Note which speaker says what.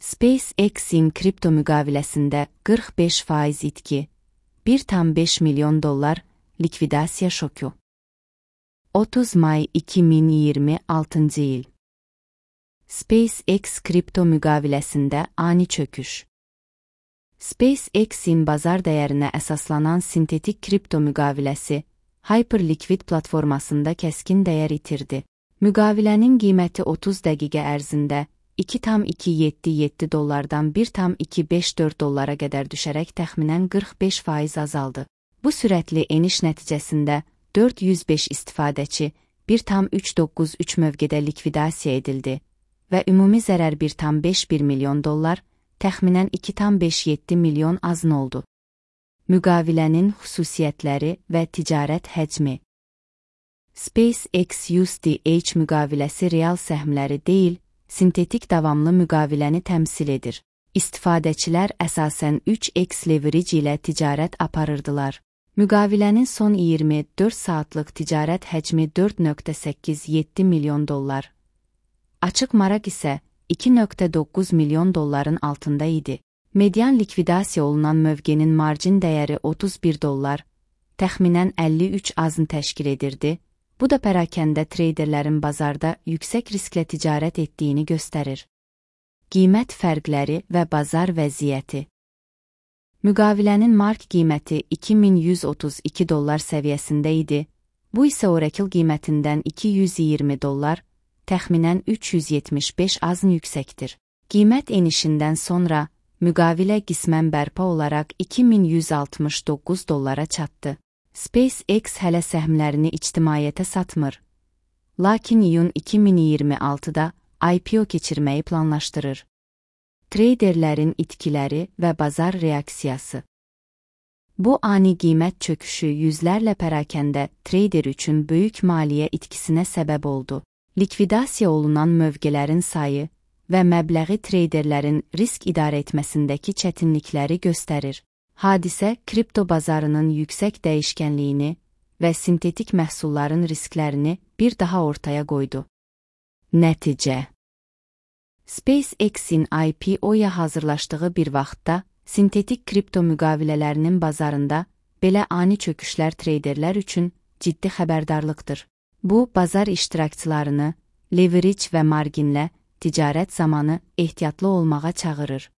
Speaker 1: SpaceX'in kripto müqaviləsində 45% itki, $1,5 milyon likvidasiya şoku. 30 may 2026 il. SpaceX kripto müqaviləsində ani çöküş. SpaceX'in bazar dəyərinə əsaslanan sintetik kripto müqaviləsi Hyperliquid platformasında kəskin dəyər itirdi. Müqavilənin qiyməti 30 dəqiqə ərzində $2,277-dan $1,254 qədər düşərək təxminən 45% azaldı. Bu sürətli eniş nəticəsində 405 istifadəçi 1,393 mövqedə likvidasiya edildi və ümumi zərər $1,51 milyon, təxminən $2,57 milyon azın oldu. Müqavilənin xüsusiyyətləri və ticarət həcmi. SpaceX USDH müqaviləsi real səhmləri deyil, sintetik davamlı müqaviləni təmsil edir. İstifadəçilər əsasən 3x leverage ilə ticarət aparırdılar. Müqavilənin son 24 saatlıq ticarət həcmi $4,87 milyon. Açıq maraq isə $2,9 milyon altında idi. Median likvidasiya olunan mövqenin marjin dəyəri $31, təxminən 53 azın təşkil edirdi. Bu da pərakəndə treyderlərin bazarda yüksək risklə ticarət etdiyini göstərir. Qiymət fərqləri və bazar vəziyyəti. Müqavilənin mark qiyməti $2,132 səviyyəsində idi. Bu isə Oracle qiymətindən $220, təxminən 375 azın yüksəkdir. Qiymət enişindən sonra müqavilə qismən bərpa olaraq $2,169 çatdı. SpaceX hələ səhmlərini ictimaiyyətə satmır. Lakin iyun 2026-da IPO keçirməyi planlaşdırır. Treyderlərin itkiləri və bazar reaksiyası. Bu ani qiymət çöküşü yüzlərlə pərakəndə treyder üçün böyük maliyyə itkisinə səbəb oldu. Likvidasiya olunan mövqələrin sayı və məbləği treyderlərin risk idarə etməsindəki çətinlikləri göstərir. Hadisə kripto bazarının yüksək dəyişkənliyini və sintetik məhsulların risklərini bir daha ortaya qoydu. Nəticə. SpaceX-in IPO-ya hazırlaşdığı bir vaxtda sintetik kripto müqavilələrinin bazarında belə ani çöküşlər treyderlər üçün ciddi xəbərdarlıqdır. Bu, bazar iştirakçılarını leverage və marginlə ticarət zamanı ehtiyatlı olmağa çağırır.